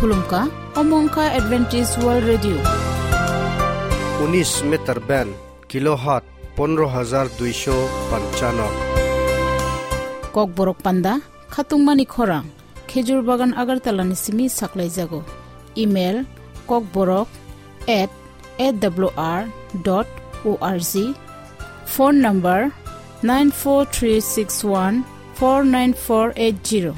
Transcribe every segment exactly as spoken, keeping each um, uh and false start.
Khulumkha, omo wngkha Adventist World Radio. Unis meter band, kilohertz pondro hajar duisho panchanno. Kokborok panda, khatungmani khorang, Khejur Bagan Agartala ni simi saklaijago. Email, kokborok at A W R dot O R G. Phone number, nine four three six one four nine four eight zero.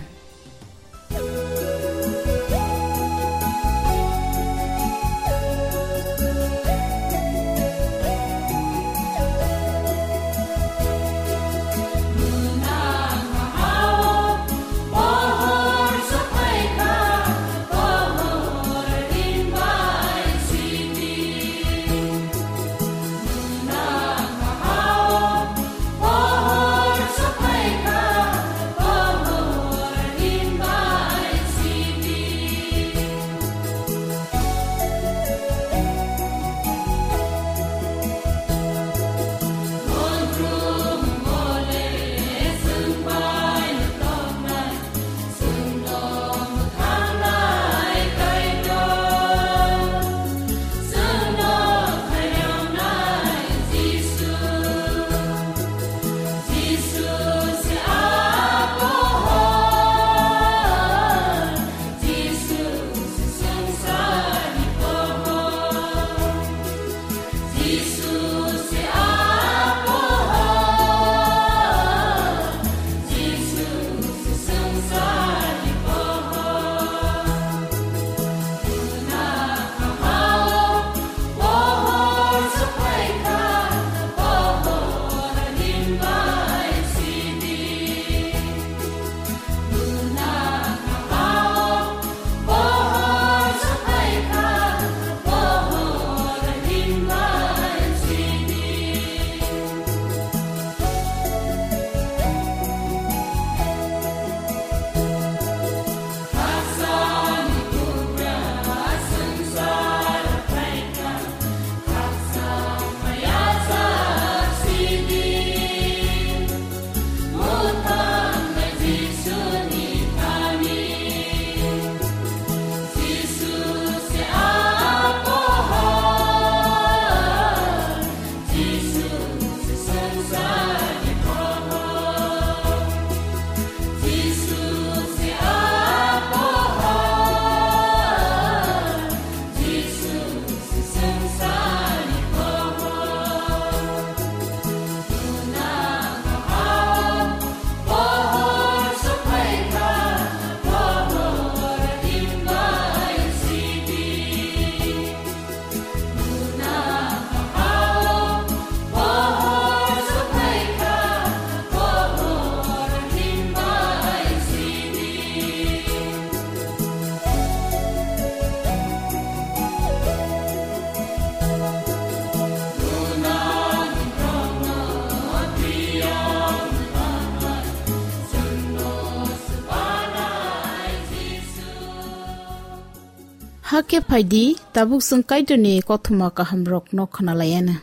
Hakhe phaidi, tabuk chwng Kaitorni kothoma kahamrokno khwnalaiana.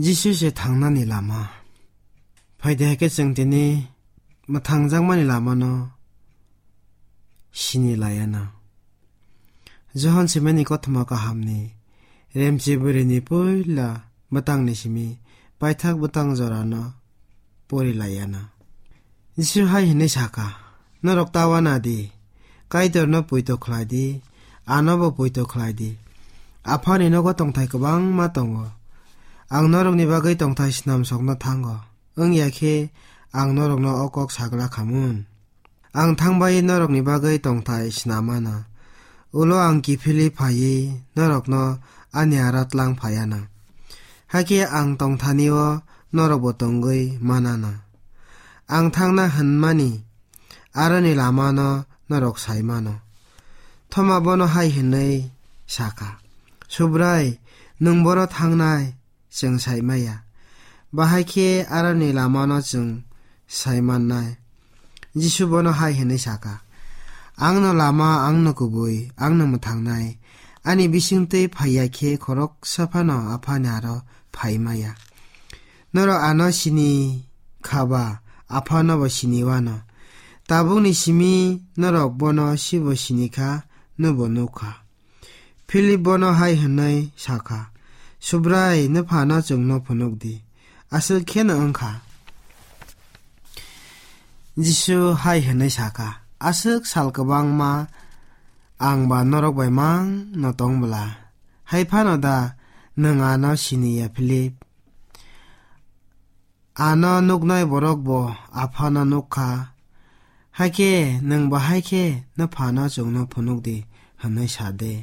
Jisu se thangnani lama. Phaidi hakhe chwng tini mwthangjakmani lamano sini laiana. Johon simani kothoma kahamni remchi bwrwini puila bwtangni simi paithak bwtang jorano pori laiana. Jisu hai hwnwi saka, "Norok ta uana di, Kaitorno poito khlai di, anobo poito khlai di. Aphani nogo tongthai kwbangma tongo. Ang norokni bagwi tongthai snamsokno thango, wngya khe ang norokno o kok sagla khamun. Ang thangbai norokni bagwi tongthai snamana. Ulo ang kiphilwi phaiwi norokno ani aro tlang phaiana. Hakhe ang tongthanio norokbo tongwi manana. Ang thangna hwnmani aroni lamano norok sai mano." Thoma bono hai hwnwi saka, "Subrai, nwng boro thangnai?" Chwng sai maya. Bahai khe aroni lamano chwng sai mannai. Jisu bono hai hwnwi saka, "Angno lama, angno kubui, angno mwthangnai. Ani bisingtwi phaiya khe khoroksa phano Aphani aro phai maya. Norok ano sini kha ba, Aphanobo sini wano. Tabukni simi norok bono sibo sini kha, nwbo nuk kha. Philip bono hai hwnwi sa kha, "Subrai, nwphano chwngno phunuk di, aswk kheno wng kha." Jisu hai hwnwi sa kha, "Aswk sal kwbangma ang ba norok bai mang no tong bwla, hai phano da nwng ano sini ya, Philip? Ano nuknai borok bo Aphano nuk kha. Hakhe nwng bahai khe nwphano chwngno phunuk di hwnwi sa de.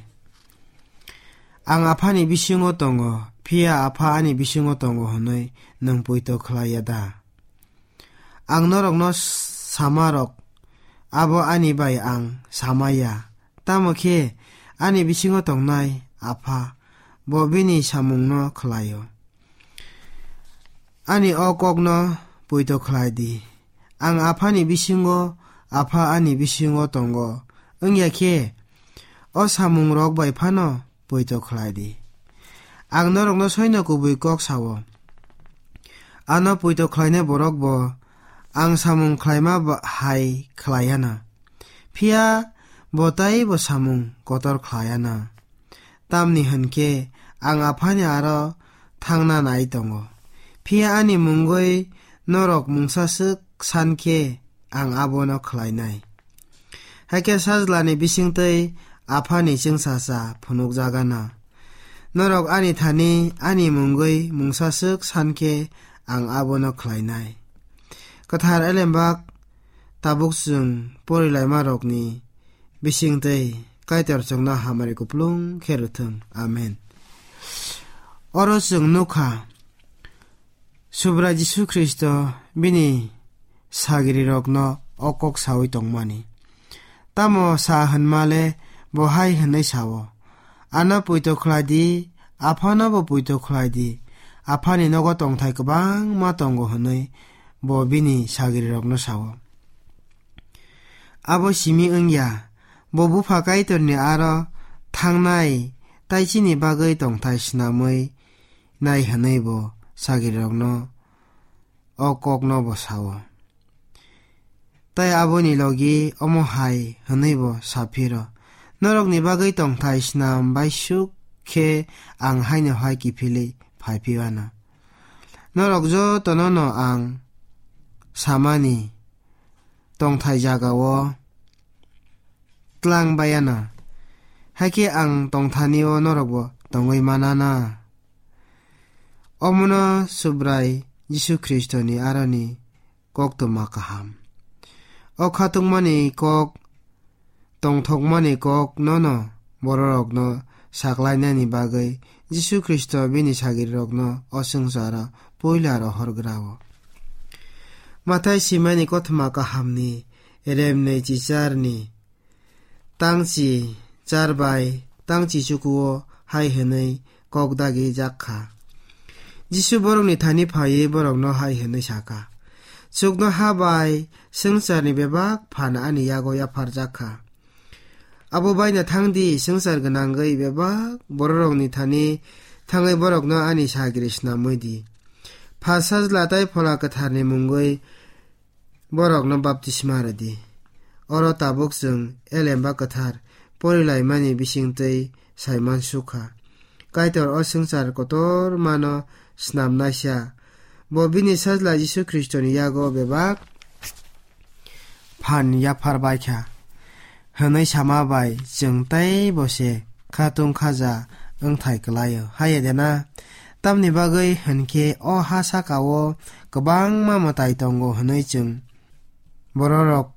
Ang Aphani bisingo tongo, phiya Apha ani bisingo tongo hwnwi nwng poito khlai ya da? Ang norokno sama rok, abo ani bai ang sama ya. Tamo khe ani bisingo tongnai Apha, bo bini samungno khlai-o. Ani o kokno poito khlai di. Ang Aphani bisingo, Apha ani bisingo tongo. Wng ya khe, o samungrok bai phano poito khlai di. Ang norokno soino kubui kok sa-o. Ano poito khlainai borok bo ang samung khlaima ba-, hai khlai ya na. Phiya bo tei bo samung kotor khlai ya na. Tamni hwn khe ang Aphani aro thangna nai tongo. Phiya ani mungwi norok mungsa swk san khe ang abono khlainai. Hakhe Sajlani bisingtwi Aphani chwngsacha phunukjagana. Norok ani thani ani mungwi mungsa swk san khe ang abono khlainai. Kwthar Elembak tabuk chwng porilaimarokni bisingtwi Kaitor chwngno hamari kuplung khe rwthwng. Amen. Oro chwng nukha, Subrai Jisu Khristo bini sagirirokno o kok saui tongmani. Tamo sa hwnma le bo hai hwnwi sa-o, "Ano poito khlai di, Aphano bo poito khlai di, Aphani nogo tongthai kwbangma tongo," hwnwi bo bini sagirirokno sa-o. Abo simi wng ya, bo Bupha Kaitorni aro thangnai tei chini bagwi tongthai snamwi nai hwnwi bo sagirirokno o kokno bo sa-o. Tei aboni logi omo hai hwnwi bo sa phiro, "Norokni bagwi tongthai snam bai suk khe ang haino hai kiphilwi phai phi anw. Norok jotono no ang samani tongthai jagao tlang bai anw, hakhe ang tongthani-o norokbo tongwi man anw." Omono Subrai Jisu Khristoni aroni koktwma kaham. O khatungmani kok, tongthokmani kok nono bororokno saklainani bagwi Jisu Khristo bini sagirirokno o swngcharo puila rohorgra-o. Mathai simani kothoma kahamni remnwi chicharni tangchi char bai tangchi chukuo hai hwnwi kok dagi jak kha, Jisu borokni thani phaiwi borokno hai hwnwi sa kha, "Chuknoha bai swngcharni bebak phan ani yago yapharjak kha. Abo baina thang di, swngchar gwnangwi bebak bororokni thani thangwi borokno ani sagiri snamwi di. Pha Sajla tei Phola Kwtharni mungwi borokno baptisma rw di." Oro tabuk chwng Elemba Kwthar porilaimani bisingtwi sai mansukha, Kaitor o swngchar kotormano snamnaisa, bo bini Sajla Jisu Khristoni yago bebak phan yaphar bai kha hwnwi sama bai chwng tei bo se khatung khaja wngthai kwlaio. Haiya de na? Tamni bagwi hwn khe o ha saka-o kwbangma mwtai tongo hwnwi chwng bororok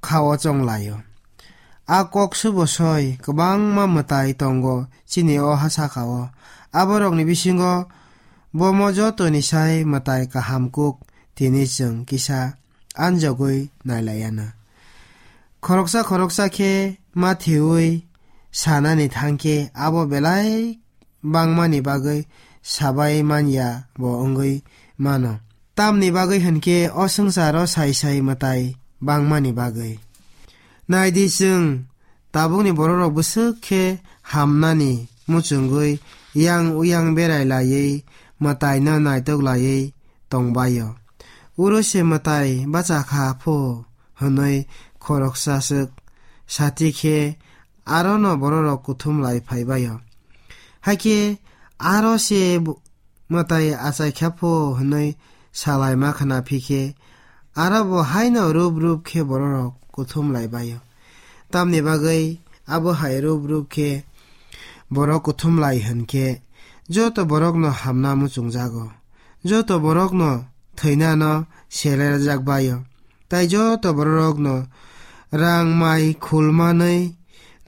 kha-o chong laio. A kok subo soi kwbangma mwtai tongo chini o ha saka-o. Aborokni bisingo bomo jotoni sai mwtai kaham kuk tini chwng kisa anjogwi nailaiya na. Khoroksa khoroksa khe mathiwi sanani thang khe abo belai bangmani bagwi sabai manya bo wngwi mano. Tamni bagwi hwn khe o swngcharo sai sai mwtai bangmani bagwi. Nai di chwng, tabukni bororok bwswk khe hamnani muchungwi yang uyang berai laiwi mwtaino naitok laiwi tongbaio. Uro se mwtai bacha kha pho hwnwi khoroksa swk sati khe arono bororok kuthum lai phai bai-o. Hakhe aro se bu-, mwtai achai kha pho hwnwi salaima khna phi khe, aro bo haino rup rup khe bororok kuthum lai bai-o. Tamni bagwi abo hai rup rup khe borok kuthum lai hwn khe, joto borokno hamna muchungjago, joto borokno thwinano selerjak bai-o. Tai joto bororokno rang mai khulmanwi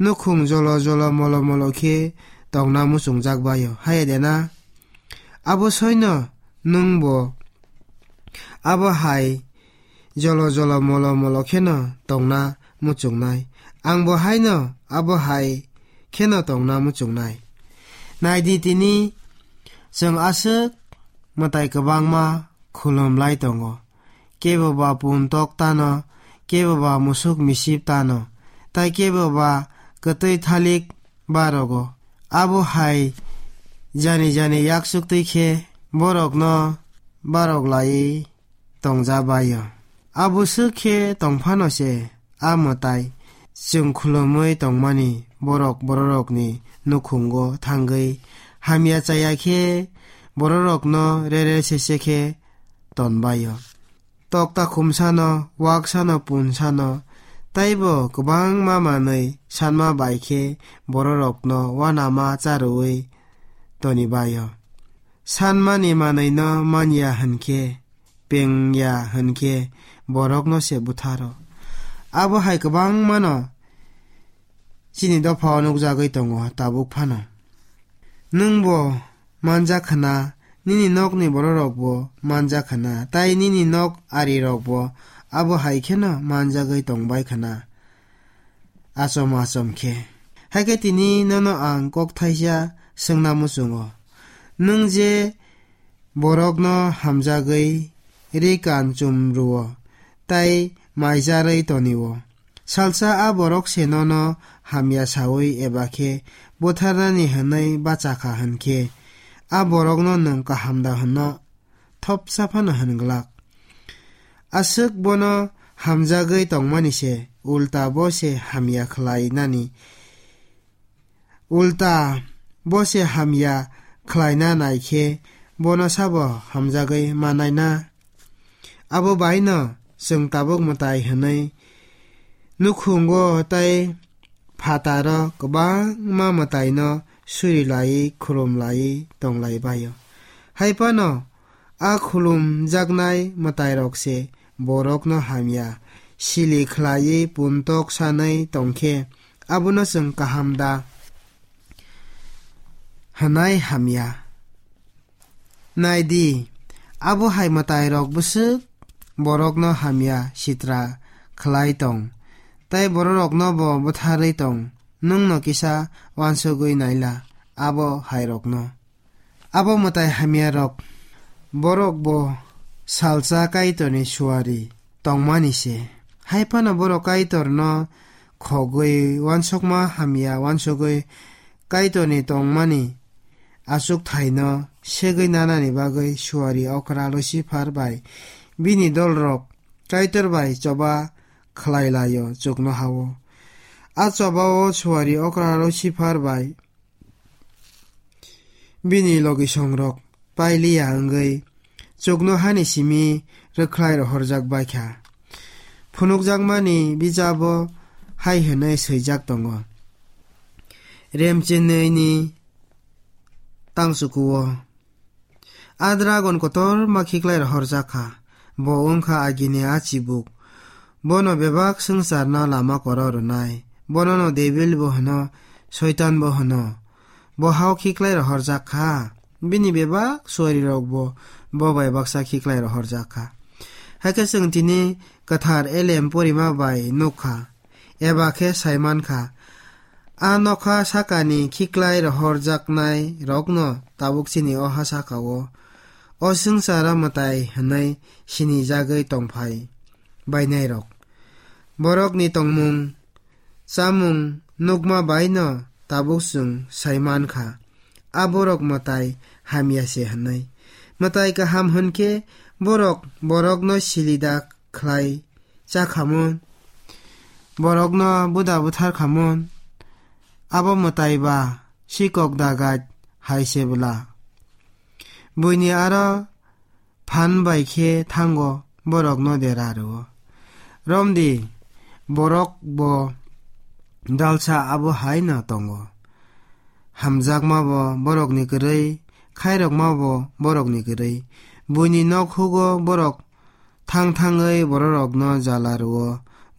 nukhung jolo jolo molo molo khe tongna muchungjak bai-o. Haiya de na? Abo soino nwngbo abo hai jolo jolo molo molo kheno tongna muchungnai. Angbo haino abo hai kheno tongna muchungnai. Naidi tini chwng aswk mwtai kwbangma khulum lai tongo. Kebo ba puntok tano, kebo ba musuk misip tano, tai kebo ba kwtwi thalik barogo. Abo hai jani jani yaksuk twi khe borokno barok laiwi tongja bai-o. Abo swk khe tong phano se a mwtai chwng khulumwi tongmani borok bororokni nukhungo thangwi hamya chaya khe bororokno rere sese khe ton bai-o. Tokta khumsano, waksano, punsano, taibo kwbangma manwi sanma bai khe bororokno uanama charwui toni bai-o. Sanmani manwino manya hwn khe, pengya hwn khe, borokno se butharo. Abo hai kwbangmano chini dophao nukjagwi tongo tabuk phano. Nwngbo manjak khna, nini nokni bororokbo manjak khna, tai nini nok arirokbo abo hai kheno manjagwi tongbai khna. Achom achom khe. Hakhe tini nono ang kok thaisa swngna muchungo. Nwng je borokno hamjagwi ri kan chum rwo, tai maijarwi tonio. Salsa a borok se nono hamya saui eba khe butharnani hwnwi bacha kha hwn khe, a borokno nwng kaham da hwnno thopsa phano hwn glak. Aswk bono hamjagwi tongmani se, ulta bo se hamya khlainani, ulta bo se hamya khlaina nai khe bono sabo hamjagwi manai na? Abo bai no chwng tabuk mwtai hwnwi nukhungo tai phataro kwbangma mwtaino suri laiwi khulum laiwi tong lai bai-o. Hai phano a khulumjaknai mwtairok se borokno hamya sili khlaiwi puntok sanwi tong khe, abono chwng kaham da hwnai hamya? Nai di, abo hai mwtairok bwswk borokno hamya sitra khlai tong, tai bororokno bo butharwi tong. Nwng no kisa uansugwi naila abo hairokno. Abo mwtai hamyarok borok bo salsa Kaitorni suari tongmani se. Hai phano borok Kaitorno khogwi uansukma hamya uansugwi Kaitorni tongmani achuk thaino segwi nanani bagwi suari okra Lucifer bai bini dolrok Kaitor bai choba khlai lai-o chuknoha-o. A choba-o suari okra Lucifer bai bini logisongrok pailiya wngwi chuknohani simi rwkhlai rohorjak bai kha. Phunukjakmani bijabo hai hwnwi swijak tongo, Remchenwini tangchukuo. A dragon kotorma khiklai rohorjak kha. Bo wng kha agini a chibuk. Bono bebak swngcharno lama koro rwnai. Bonono Debil bo hwno, Soitan bo hwno. Bo hao khiklai rohorjak kha. Bini bebak suarirokbo bo bai baksa khiklai rohorjak kha. Hakhe chwng tini kwthar elem porima bai nuk kha, eba khe sai man kha. A nokha sakani khiklai rohorjaknai rokno tabuk chini o ha saka-o, o swngcharo mwtai hwnwi sinijagwi tongphai bainai rok. Borokni tongmung, chamung nukma bai no tabuk chwng sai man kha, a borok mwtai hamya se hwnwi. Mwtai kaham hwn khe borok borokno silida khlai cha khamon, borokno buda buthar khamon, Abo mwtai ba sikok dagait hai se bwla. Buini aro phan bai khe thango, borokno dera rwo. Romdi, borok bo dalsa abo hai no tongo. Hamjakma bo borokni kwrwi, khairokma bo borokni kwrwi. Buini nok hugo borok thang thangwi bororokno jala rwo,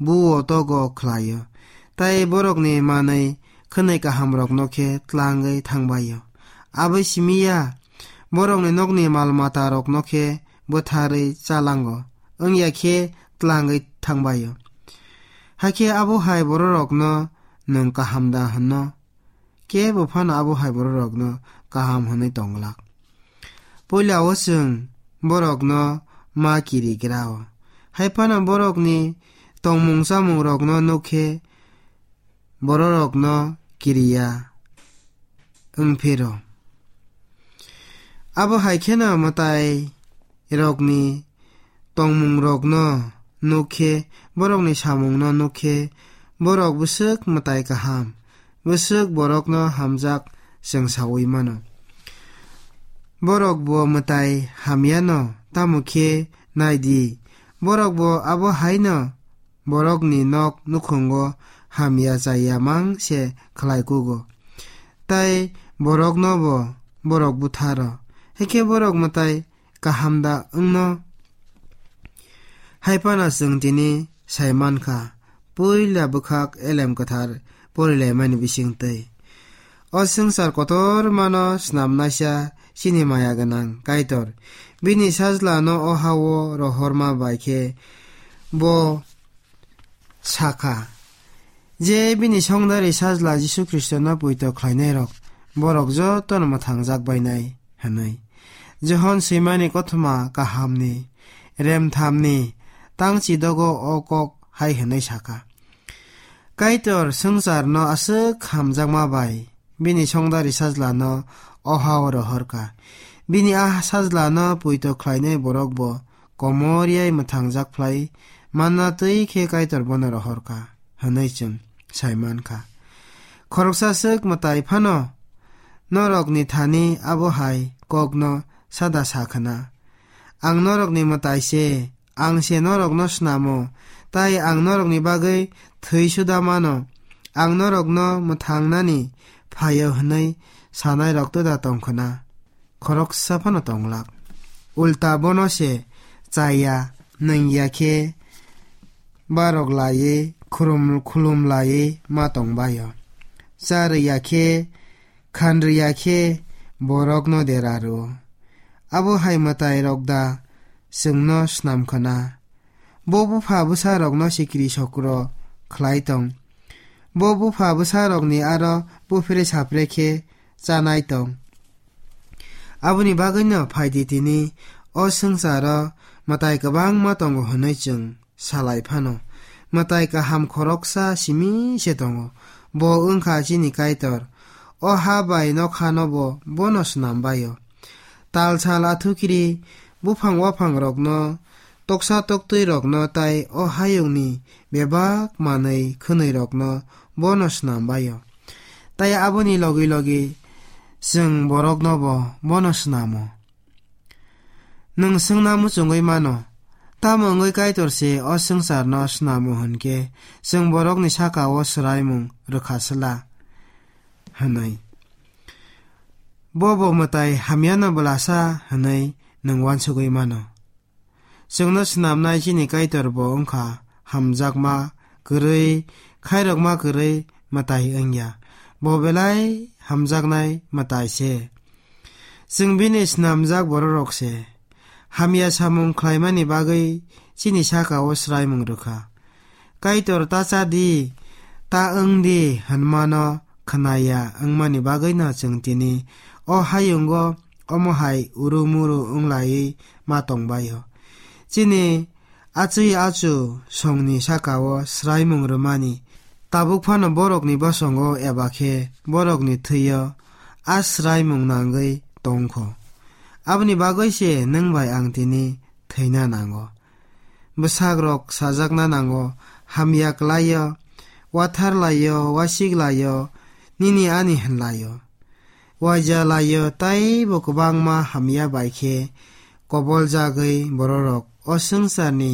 buo togo khlaio. Tai borokni manwi khwnwi kahamrokno khe tlangwi thangbaio. Abo simi ya, borokni nokni mal matarokno khe bwtharwi chalango, wngya khe tlangwi thangbaio. Hakhe abo hai bororokno nwng kaham da hwnno? Kebo phano abo hai bororokno kaham hwnwi tongglak. Puila o chwng borokno ma kirigrao. Hai phano borokni tongmung chamungrokno nuk khe bororokno kiriya wng phiro. Abo hai kheno mwtai rokni tongmungrokno nuk khe, borokni samungno nuk khe, borok bwswk mwtai kaham, bwswk borokno hamjak chwng saui mano. Borok bo mwtai hamyano, tamo khe nai di, borok bo abo hai no borokni nok nukhungo hamya chaya mang se khlai kugo. Tai borokno bo borok butharo. Hakhe borok mwtai kaham da wngno? Hai phano chwng tini sai mankha, puila bwkhak elem kwthar porilaimani bisingtwi. O swngchar kotormano snamnaisa chini maya gwnang Kaitor. Bini sajlano o ha-o rohorma bai khe bo sakha je bini songdari sajla Jisu Khristono poito khlainairok borok jotono mwthangjak bainai hwnwi. Johon swimani kothoma kahamni remthamni tangchi dogo o kok hai hwnwi sakha. Kaitor swngcharno aswk hamjakma bai bini songdari sajlano o ha-o rohorkha. Bini a sajlano poito khlainai borok bo komor yai mwthangjak phlai manna twi khe Kaitor bono rohorkha hwnwi chwng sai mankha. Khoroksa swk mwtai phano norokni thani abo hai kokno sada sa khna, "Ang norokni mwtai se, ang se norokno snamo, tai ang norokni bagwi thwi suda mano, ang norokno mwthangnani phaio," hwnwi sanairok twda tong khna. Khoroksa phano tonglak. Ulta bono se chaya, nungya khe barok laiwi khulum, khulum laiwi ma tongbaio. Cha rwya khe, khan rwya khe borokno dera rwo. Abo hai mwtairok da chwngno snam khna? Bo bupha bwsarokno sikiri sokro khlai tong. Bo bupha bwsarokni aro buphre saphre khe chanai tong. Aboni bagwino phaidi tini o swngcharo mwtai kwbangma tongo hwnwi chwng salai phano. Mwtai kaham khoroksa simi se tongo. Bo wngkha chini Kaitor. O ha bai nokhano bo bono snam baio. Tal sal athukiri buphang waphangrokno, toksa toktwirokno tai o hayungni bebak manwi khwnwirokno bono snam baio. Tai aboni logi logi chwng borokno bo bono snamo. Nwng swngna muchungwi mano, "Tamo wngwi Kaitor se o swngcharno snamo hwn khe chwng borokni saka-o swraimung rwkha sla?" hwnwi. Bo bo mwtai hamyano bwlasa hwnwi nwng uansugwi mano. Chwngno snamnai chini Kaitor bo wngkha hamjakma kwrwi, khairokma kwrwi mwtai wngya. Bo belai hamjaknai mwtai se. Chwng bini snamjak bororok se. Hamya samung khlaimani bagwi chini saka-o swraimung rwkha. Kaitor ta cha di, ta wng di hwnmano khwnaya wngmani bagwino chwng tini o hayungo omo hai uru muru wng laiwi ma tong baio. Chini achwi achu songni saka-o swraimung rwmani tabuk phano borokni bosongo eba khe borokni thwi-o a swraimung nangwi tong kho. Aboni bagwi se nwng bai ang tini thwina nango. Bwsakrok sajakna nango, hamya kwlaio, watharlaio, wasiklaio, nini ani hwnlaio. Uaija laio taibo kwbangma hamya bai khe koboljagwi bororok o swngcharni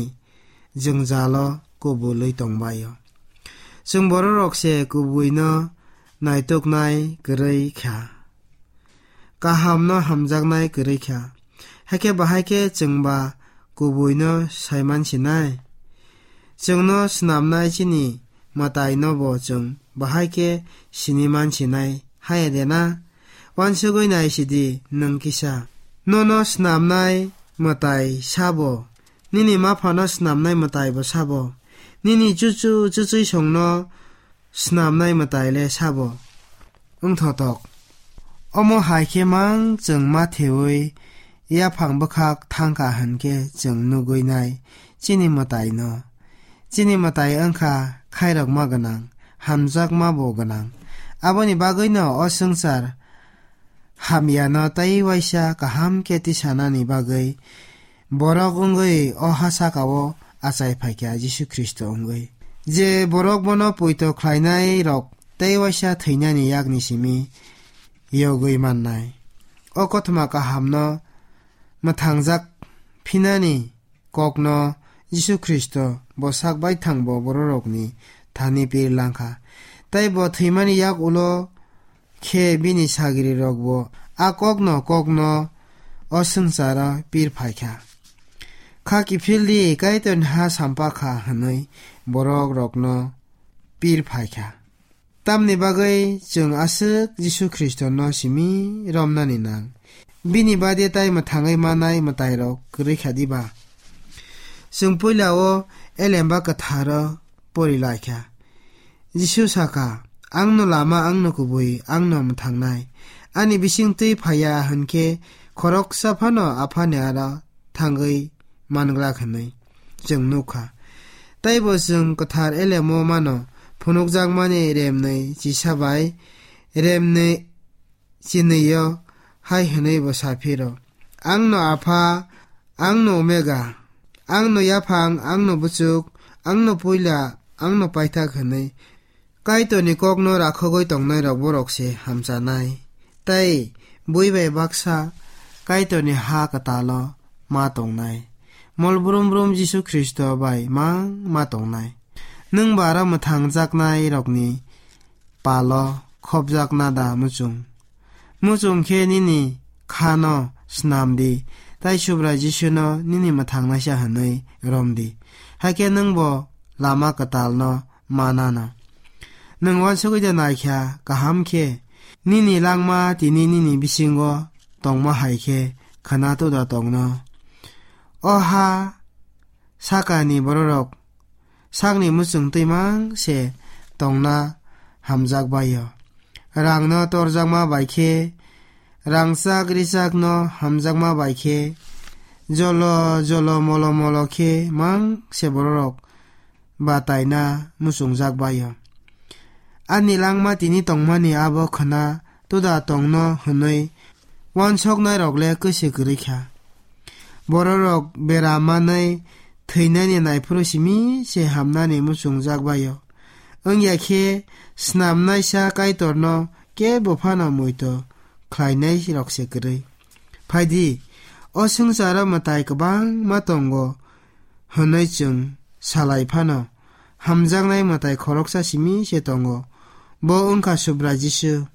jwngjalo kubulwi tongbaio. Chwng bororok se kubuino naituknai kwrwi kha, kahamno hamjaknai kwrwi kha. Hakhe bahai khe chwngba kubuino saiman sinai? Chwngno snamnai chini mwtainobo chwng bahai khe siniman sinai haya de na? Uansugwi nai sidi nwng kisa. Nono snamnai mwtai sabo, nini maphano snamnai mwtaibo sabo, nini chuchu chuchwisongno snamnai mwtai le sabo. Wngthotok. Omo hai khe mang chwng ma thewi yaphang bwkhak thangkha hwn khe chwng nugwi nai chini mwtaino. Chini mwtai wngkha khairokma gwnang, hamjakmabo gwnang. Aboni bagwino o swngchar hamyano tei uaisa kaham khe tisanani bagwi borok wngwi o ha sakao achai phaikha Jisu Khristo wngwi. Je borok bono poito khlainai rok tei uaisa thwinani yakni simi yogwi mannai. O kothoma kahamno mwthangjak phinani kokno Jisu Khristo bo sak baithangbo bororokni thani pir langkha. Tei bo thwimani yak ulo khe bini sagrirokbo a kokno kokno o swngcharo pir phaikha. Kha kiphildi, Kaitorni ha sampa kha hwnwi borokrokno pir phaikha. Tamni bagwi chwng aswk Jisu Khristono simi romnani nang? Bini bade tai mwthangwi manai mwtairok kwrwi kha diba? Chwng puila o Elemba Kwtharo pori lai kha. Jisu sakha, "Angno lama, angno kubui, angno mwthangnai. Ani bising twi phaiya hwn khe khoroksa phano Aphani aro thangwi manglak," hwnwi chwng nukha. Taibo chwng kwthar Elemo mano phunukjakmani remnwi chisa bai remnwi chinwi-o hai hwnwi bo sa phiro, "Angno Apha, angno Omega, angno yaphang, angno buchuk, angno puila, angno paithak," hwnwi Kaitorni kokno rakhogwi tongnairok borok se hamchanai. Tei bui bai baksa Kaitorni ha kwtalo ma tongnai. Mol brum brum Jisu Khristo bai mang ma tongnai. Nwng ba aro mwthangjaknairokni palo khopjakna da muchung? Muchung khe nini khano snam di, tei Subrai Jisuno nini mwthangnaisa hwnwi rom di. Hakhe nwng bo lama kwtalno manano. Nwng uansugwi de naikha kaham khe, nini langma tini nini bisingo tongma hai khe khwna tuda tongno. O ha sakani bororok sakni muchung twimang se tongna hamjak bai-o. Rangno torjakma bai khe, rangchak richakno hamjakma bai khe, jolo jolo molo molo khe mang se bororok bataina muchungjak bai-o. Ani langma tini tongmani abo khwna tuda tongno hwnwi uansoknairok le kwse kwrwi kha. Bororok bera manwi thwinani naiphuru simi se hamnani muchungjak bai-o. Wngya khe snamnaisa Kaitorno kebo phano muito khlainairok se kwrwi. Phaidi, o swngcharo mwtai kwbangma tongo hwnwi chwng salai phano, hamjaknai mwtai khoroksa simi se tongo, bo wngkha Subrai Jisu.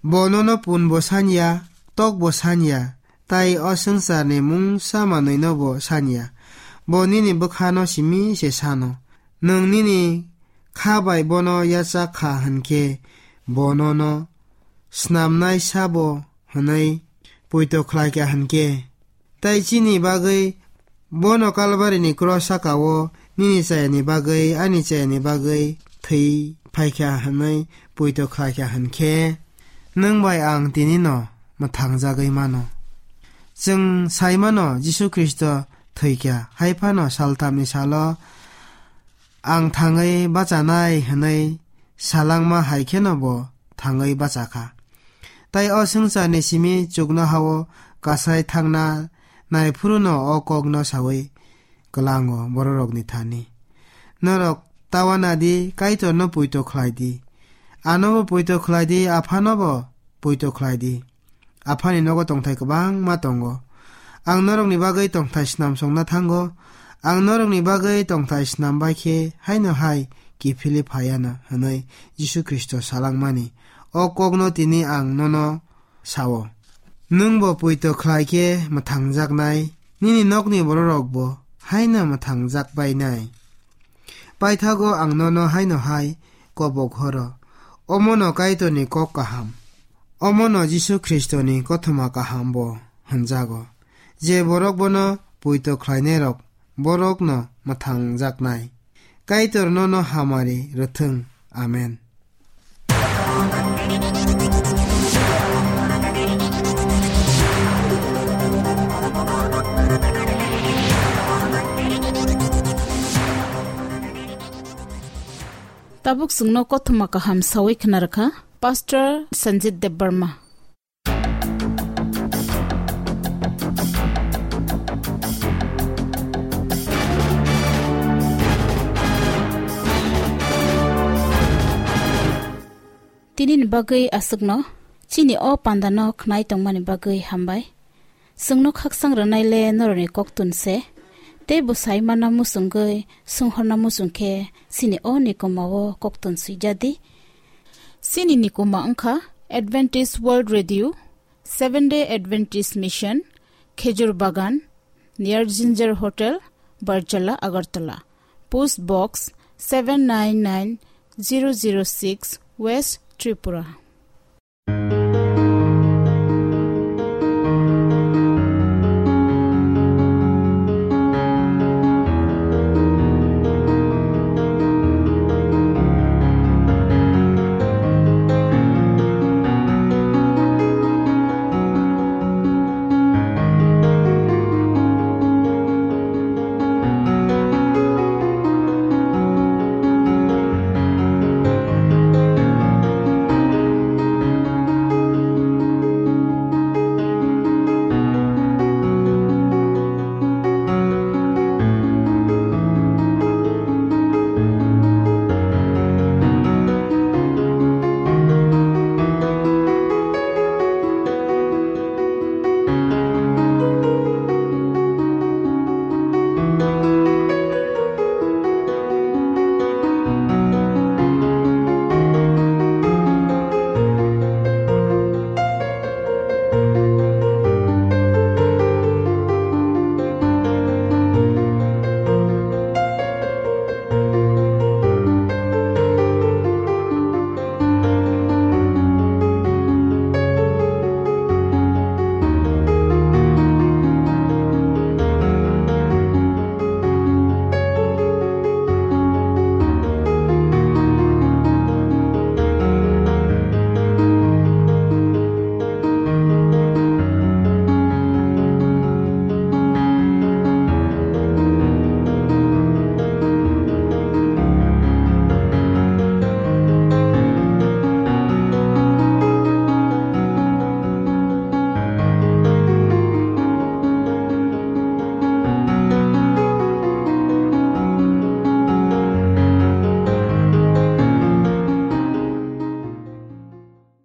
Bo nono punbo sanya, tokbo sanya, tai o swngcharni mungsa manwinobo sanya. Bo nini bwkhano simi se sano. Nwng nini kha bai bono yachak kha hwn khe, bo nono snamnai sabo hwnwi poito khlai kha hwn khe, tai chini bagwi bono Kalbarini kros sakao nini chayani bagwi, ani chayani bagwi thwi phai kha hwnwi poito khlai kha hwn khe, nwng bai ang tini no mwthangjagwi mano. Chwng sai mano, Jisu Khristo thwi kha, hai phano saltamni salo ang thangwi bachanai hwnwi salangma hai kheno bo thangwi bacha kha. Tai o swngcharni simi chuknoha-o kasai thangna nai phuru no o kokno saui kwlango bororokni thani. Norok ta uana di, Kaitorno poito khlai di. Anobo poito khlai di, aphanobo poito khlai di. Aphani nogo tongthai kwbangma tongo. Ang norokni bagwi tongthai snam songna thango. Ang norokni bagwi tongthai snam bai khe haino hai kiphilwi phaiano hwnwi Jisu Khristo salangmani. O kokno tini ang nono sao. Nwngbo poito khlai khe mwthangjaknai, nini nokni bororokbo haino mwthangjak bainai. Paithago ang nono haino hai kobok horo. Omono Kaitorni kok kaham. Omono Jisu Khristoni kothoma kaham bo hwnjago. Je borok bono poito khlainairok, borokno mwthangjaknai. Kaitor nono hamari rwthwng. Amen. Tabuk chwngno kothoma kaham sawi khna rwkha Pastor Sanjit Debbarma. Tini ni bagwi aswkno, chini o panda no khnai tongmani bagwi hambai. Chwngno khaksang rwnai le norokni koktun se, tei bwsai mana muchungwi sunghorna muchung khe chini o nikoma o koktun swijadi. Chini nikoma wngkha Adventist World Radio, Seventh Day Adventist Mission, Khejur Bagan, near Ginger Hotel, Barjala, Agartala. Post Box seven nine nine zero zero six, West Tripura.